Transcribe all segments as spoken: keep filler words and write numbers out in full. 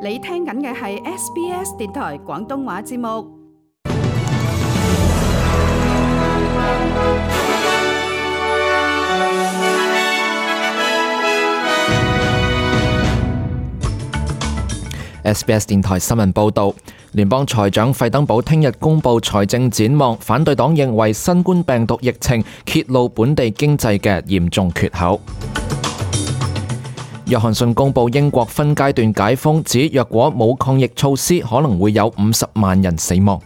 你聽緊嘅係 S B S 電台廣東話節目。S B S 電台新聞報導，聯邦財長費登堡聽日公布財政展望，反對黨認為新冠病毒疫情揭露本地經濟嘅嚴重缺口。約翰遜公布英國分階段解封，指若果冇抗疫措施，可能會有五十萬人死亡。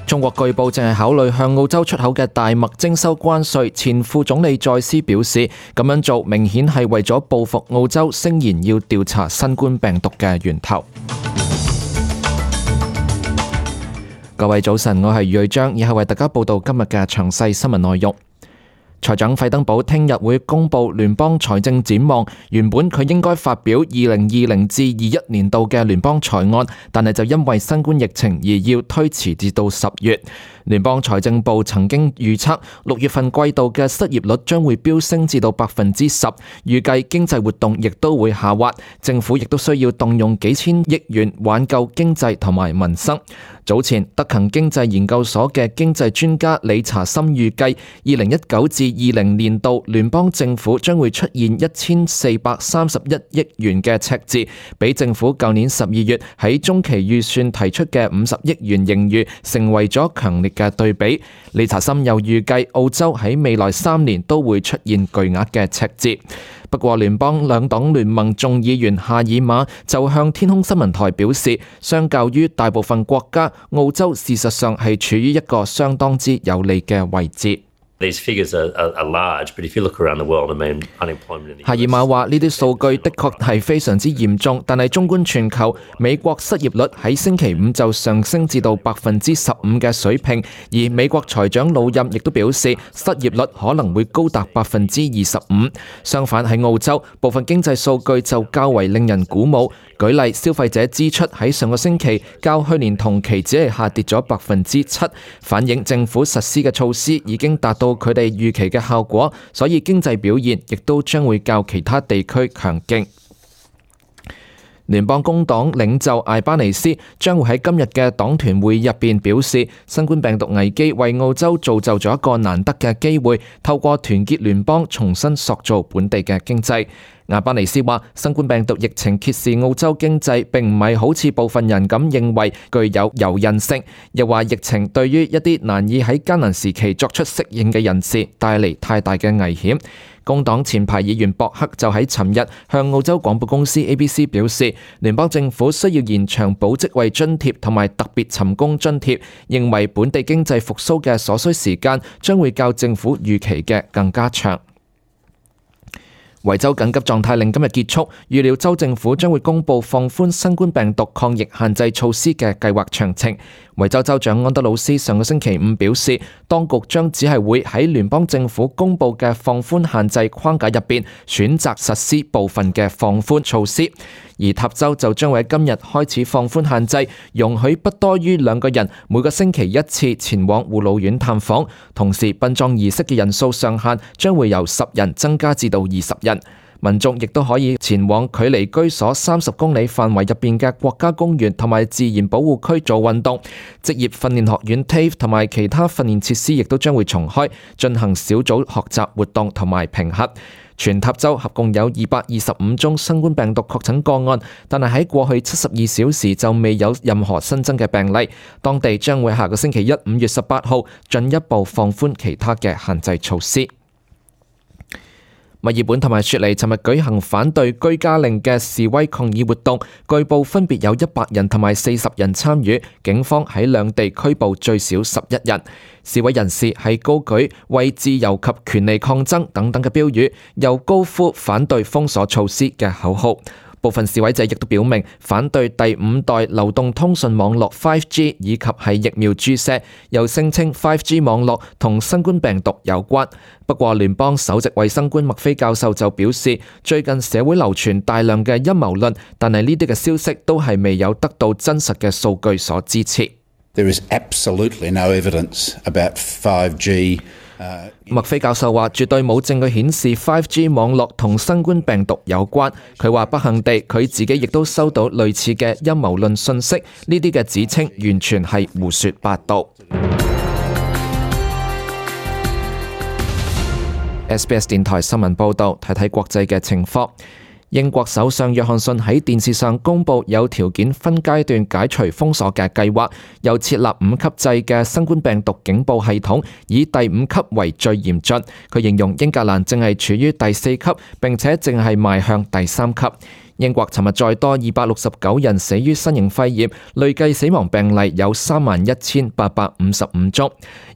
中國據報正係考慮向澳洲出口嘅大麥徵收關稅，前副總理再斯表示，咁樣做明顯係為咗報復澳洲聲言要調查新冠病毒嘅源頭。各位早晨，我係余瑞章，以後為大家報道今日嘅詳細新聞內容。財長費登堡聽日會公布聯邦財政展望，原本佢應該發表二零二零至二一年度嘅聯邦財案，但係就因為新冠疫情而要推遲至到十月。聯邦財政部曾經預測六月份季度嘅失業率將會飆升至到百分之十，預計經濟活動亦都會下滑，政府亦都需要動用幾千億元挽救經濟同埋民生。早前德勤經濟研究所嘅經濟專家理查森預計，二零一九至二零年度聯邦政府將會出現一千四百三十一億元嘅赤字，比政府舊年十二月喺中期預算提出嘅五十億元盈餘成為咗強烈嘅對比。理查森又預計澳洲喺未來三年都會出現巨額嘅赤字。不過聯邦兩黨聯盟眾議員夏爾馬就向天空新聞台表示，相較於大部分國家，澳洲事實上係處於一個相當之有利嘅位置。These figures are, are, are large, but if you look around the world, I mean, unemployment in the 夏爾馬話：呢啲數據的確係非常之嚴重，但係縱觀全球，美國失業率喺星期五就上升至到百分之十五嘅水平，而美國財長魯任亦都表示，失業率可能會高達百分之二十五。相反喺澳洲，部分經濟數據就較為令人鼓舞。舉例，消費者支出喺上個星期較去年同期只係下跌咗百分之七，反映政府實施嘅措施已經達到佢哋預期嘅效果，所以經濟表現亦都將會較其他地區強勁。聯邦工黨領袖艾巴尼斯將會喺今日嘅黨團會議入邊表示，新冠病毒危機為澳洲造就咗一個難得嘅機會，透過團結聯邦重新塑造本地嘅經濟。阿巴尼斯話，新冠病毒疫情揭示澳洲經濟並唔係好似部分人咁認為具有柔韌性，又話疫情對於一啲難以喺艱難時期作出適應嘅人士帶嚟太大嘅危險。工黨前排議員博克就喺尋日向澳洲廣播公司 A B C 表示，聯邦政府需要延長保職位津貼同埋特別尋工津貼，認為本地經濟復甦嘅所需時間將會較政府預期嘅更加長。維州緊急狀態令今日結束，預料州政府將會公布放寬新冠病毒抗疫限制措施嘅計劃詳情。維州州長安德魯斯上個星期五表示，當局將只係會喺聯邦政府公布嘅放寬限制框架入邊選擇實施部分嘅放寬措施，而塔州就將會喺今日開始放寬限制，容許不多於兩個人每個星期一次前往護老院探訪，同時殯葬儀式嘅人數上限將會由十人增加至到二十人。民眾亦都可以前往距離居所三十公里範圍入邊嘅國家公園同埋自然保護區做運動。職業訓練學院 T A F E 同埋其他訓練設施亦都將會重開，進行小組學習活動同埋評核。全塔州合共有二百二十五宗新冠病毒確診個案，但係喺過去七十二小時就未有任何新增嘅病例。當地將會下個星期一五月十八號進一步放寬其他嘅限制措施。墨爾本同埋雪梨尋日舉行反對居家令嘅示威抗議活動，據報分別有一百人同埋四十人參與，警方喺兩地拘捕最少十一人。示威人士係高舉為自由及權利抗爭等等嘅標語，又高呼反對封鎖措施嘅口號。部分示威者亦都表明反對第五代流動通訊網絡 五 G 以及係疫苗注射，又聲稱五 G 網絡同新冠病毒有關。不過聯邦首席衛生官麥菲教授就表示，最近社會流傳大量嘅陰謀論，但係呢啲嘅消息都係未有得到真實嘅數據所支持。There is absolutely no evidence about five G 麥菲教授話：絕對冇證據顯示 五 G 網絡同新冠病毒有關。佢話不幸地，佢自己亦都收到類似嘅陰謀論訊息，呢啲嘅指稱完全係胡說八道。S B S 電台新聞報導，睇睇國際嘅情況。英國首相約翰遜喺電視上公佈有條件分階段解除封鎖嘅計劃，又設立五級制嘅新冠病毒警報系統，以第五級為最嚴峻。佢形容英格蘭正係處於第四級，並且正係邁向第三級。英國尋日再多二百六十九人死於新型肺炎，累計死亡病例有三萬一千八百五十五宗。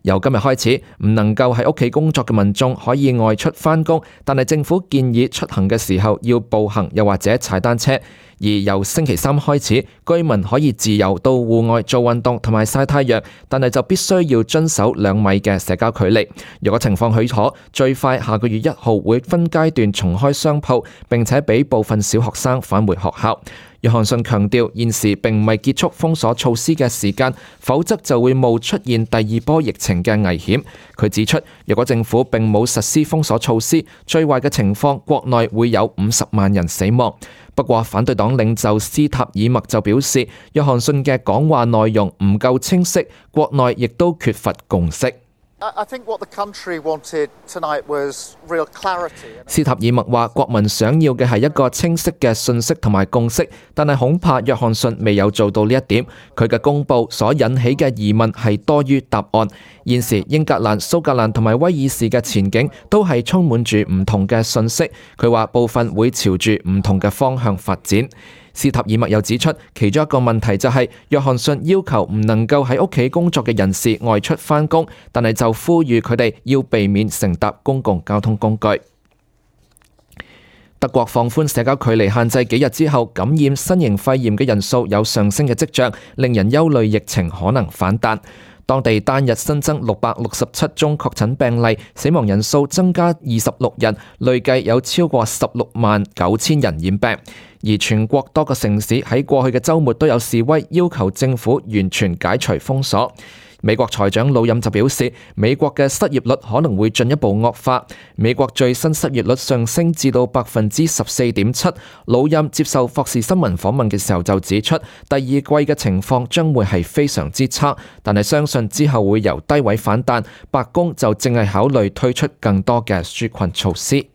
由今日開始，唔能夠喺屋企工作嘅民眾可以外出返工，但係政府建議出行嘅時候要步行又或者踩單車。而由星期三開始，居民可以自由到戶外做運動同埋曬太陽，但係就必須要遵守兩米嘅社交距離。如果情況許可，最快下個月一號會分階段重開商鋪，並且俾部分小學生返回學校。約翰遜強調，現時並唔係結束封鎖措施嘅時間，否則就會冒出現第二波疫情嘅危險。佢指出，如果政府並冇實施封鎖措施，最壞嘅情況，國內會有五十萬人死亡。不過，反對黨領袖斯塔爾默就表示，約翰遜嘅講話內容唔夠清晰，國內亦都缺乏共識。斯塔爾默話：國民想要嘅係一個清晰嘅信息同埋共識，但係恐怕約翰遜未有做到呢一點。佢嘅公佈所引起嘅疑問係多於答案。現時英格蘭、蘇格蘭同埋威爾士嘅前景都係充滿住唔同嘅信息。佢話部分會朝住唔同嘅方向發展。斯塔爾默又指出，其中一個問題就係約翰遜要求唔能夠喺屋企工作嘅人士外出返工，但係就呼籲佢哋要避免乘搭公共交通工具。德國放寬社交距離限制幾日之後，感染新型肺炎嘅人數有上升嘅跡象，令人憂慮疫情可能反彈。當地單日新增六百六十七宗確診病例，死亡人數增加二十六人，累計有超過十六萬九千人染病。而全國多個城市喺過去嘅週末都有示威，要求政府完全解除封鎖。美國財長魯任就表示，美國嘅失業率可能會進一步惡化。美國最新失業率上升至到百分之十四點七。魯任接受霍士新聞訪問嘅時候就指出，第二季嘅情況將會係非常之差，但係相信之後會由低位反彈。白宮就正係考慮推出更多嘅紓困措施。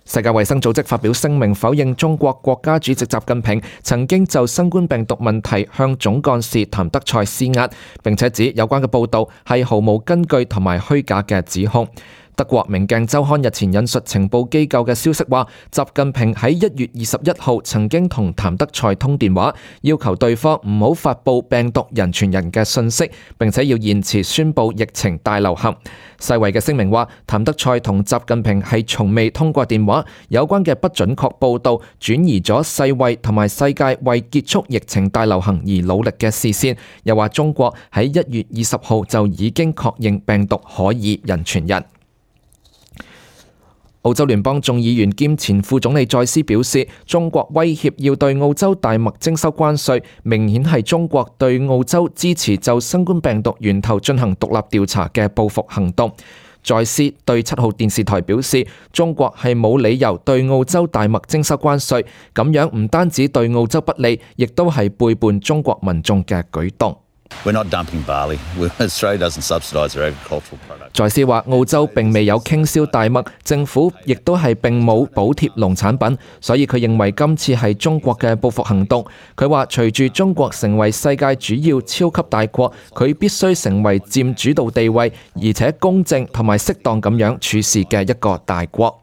世界衛生組織發表聲明否認中國國家主席習近平曾經就新冠病毒問題向總幹事譚德塞施壓，並且指有關嘅報導係毫無根據同埋虛假嘅指控。德國明鏡週刊日前引述情報機構嘅消息話，習近平喺一月二十一號曾經同譚德塞通電話，要求對方唔好發佈病毒人傳人嘅信息，並且要延遲宣佈疫情大流行。世衛嘅聲明話，譚德塞同習近平係從未通過電話，有關嘅不準確報導轉移咗世衛同埋世界為結束疫情大流行而努力嘅視線。又話中國喺一月二十號就已經確認病毒可以人傳人。澳洲聯邦眾議員兼前副總理再斯表示，中國威脅要對澳洲大麥徵收關稅，明顯係中國對澳洲支持就新冠病毒源頭進行獨立調查嘅報復行動。再斯對七號電視台表示，中國係冇理由對澳洲大麥徵收關稅，咁樣唔單止對澳洲不利，亦都係背叛中國民眾嘅舉動。We're not dumping barley. Australia doesn't subsidise their agricultural product. 在斯話，澳洲並未有傾銷大麥，政府亦都係並冇補貼農產品，所以佢認為今次係中國嘅報復行動。佢話，隨住中國成為世界主要超級大國，佢必須成為佔主導地位，而且公正同埋適當咁樣處事嘅一個大國。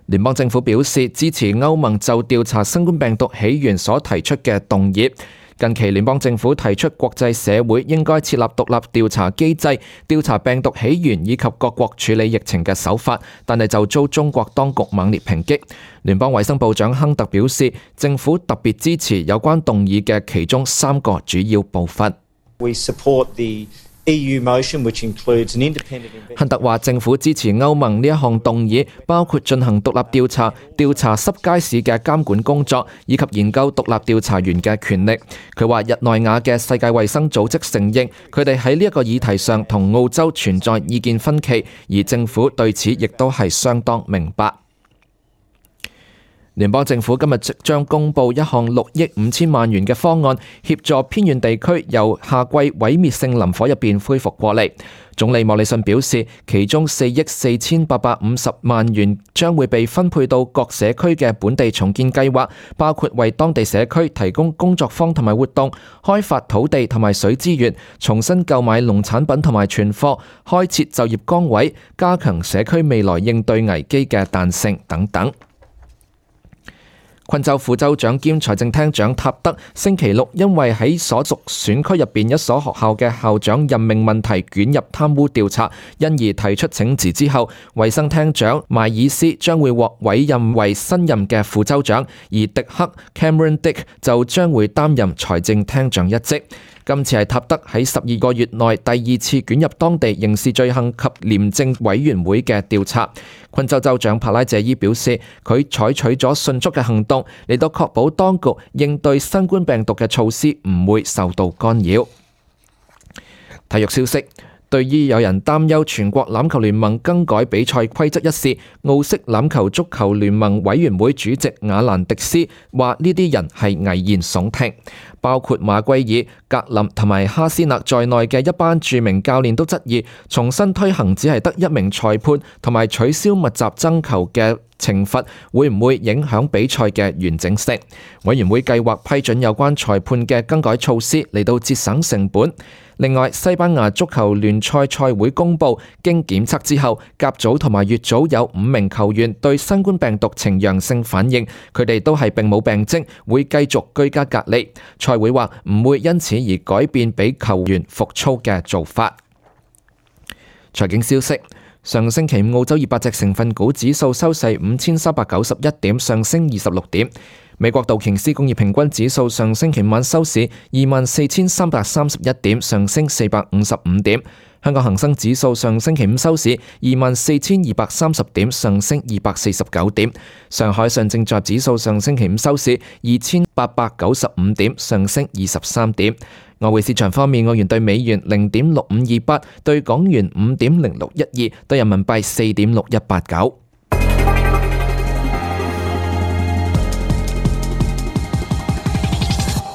聯邦政府表示支持歐盟就調查新冠病毒起源所提出嘅動議。近期聯邦政府提出國際社會應該設立獨立調查機制，調查病毒起源以及各國處理疫情嘅手法，但係就遭中國當局猛烈抨擊。聯邦衛生部長亨特表示，政府特別支持有關動議嘅其中三個主要部分。We support the E U motion, which includes an independent 亨特話政府支持歐盟呢一項動議，包括進行獨立調查、調查濕街市嘅監管工作，以及研究獨立調查員嘅權力。佢話日內瓦嘅世界衛生組織承認佢哋喺呢一個議題上同澳洲存在意見分歧，而政府對此亦都係相當明白。聯邦政府今日即將公布一項六億五千萬元嘅方案，協助偏遠地區由夏季毀滅性林火入邊恢復過嚟。總理莫里遜表示，其中四億四千八百五十萬元將會被分配到各社區嘅本地重建計劃，包括為當地社區提供工作坊同埋活動、開發土地同埋水資源、重新購買農產品同埋存貨、開設就業崗位、加強社區未來應對危機嘅彈性等等。昆州副州長兼財政廳長塔德星期六因為喺所屬選區入邊一所學校嘅校長任命問題捲入貪污調查，因而提出請辭之後，衛生廳長邁爾斯將會獲委任為新任嘅副州長，而迪克 Cameron Dick 就將會擔任財政廳長一職。今次係塔德喺十二個月內第二次捲入當地刑事罪行及廉政委員會嘅調查。昆州州長帕拉謝伊表示，佢採取咗迅速嘅行動嚟到確保當局應對新冠病毒嘅措施唔會受到干擾。體育消息。對於有人擔憂全國欖球聯盟更改比賽規則一事，澳式欖球足球聯盟委員會主席亞蘭迪斯話呢啲人係危言聳聽，包括馬圭爾、格林同埋哈斯納在內嘅一班著名教練都質疑重新推行只係得一名裁判同埋取消密集爭球嘅懲罰會唔會影響比賽嘅完整性。委員會計劃批准有關裁判嘅更改措施嚟到節省成本。另外，西班牙足球聯賽賽會公佈，經檢測之後，甲組同埋乙組有五名球員對新冠病毒呈陽性反應，佢哋都係並冇病徵，會繼續居家隔離。賽會話唔會因此而改變俾球員復操嘅做法。財經消息。上星期五澳洲二百隻成分股指數收市五千三百九十一點，上升二十六點。美國道瓊斯工業平均指數上星期五晚收市二萬四千三百三十一點，上升四百五十五點。香港恒生指數上星期五收市二萬四千二百三十點，上升二百四十九點。上海上證綜合指數上星期五收市二千八百九十五點，上升二十三點。外匯市場方面，澳元對美元零點六五二八，對港元五點零六一二，對人民幣四點六一八九。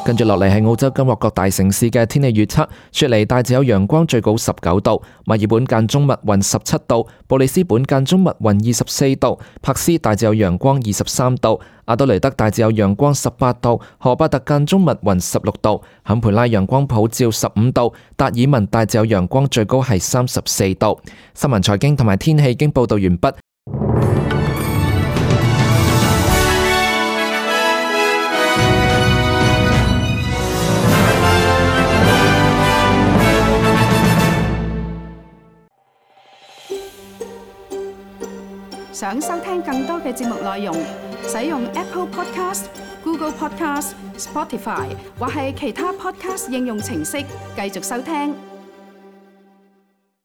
跟住落嚟係澳洲今日各大城市嘅天氣預測。雪梨大致有陽光，最高十九度；墨爾本間中密雲十七度；布里斯本間中密雲二十四度；珀斯大致有陽光二十三度；阿德雷德大致有陽光十八度；荷巴特間中密雲十六度；坎培拉陽光普照十五度；達爾文大致有陽光，最高係三十四度。新聞財經同埋天氣已經報道完畢。想收聽更多嘅節目內容，使用 Apple Podcast、Google Podcast、Spotify 或係其他 Podcast 應用程式繼續收聽。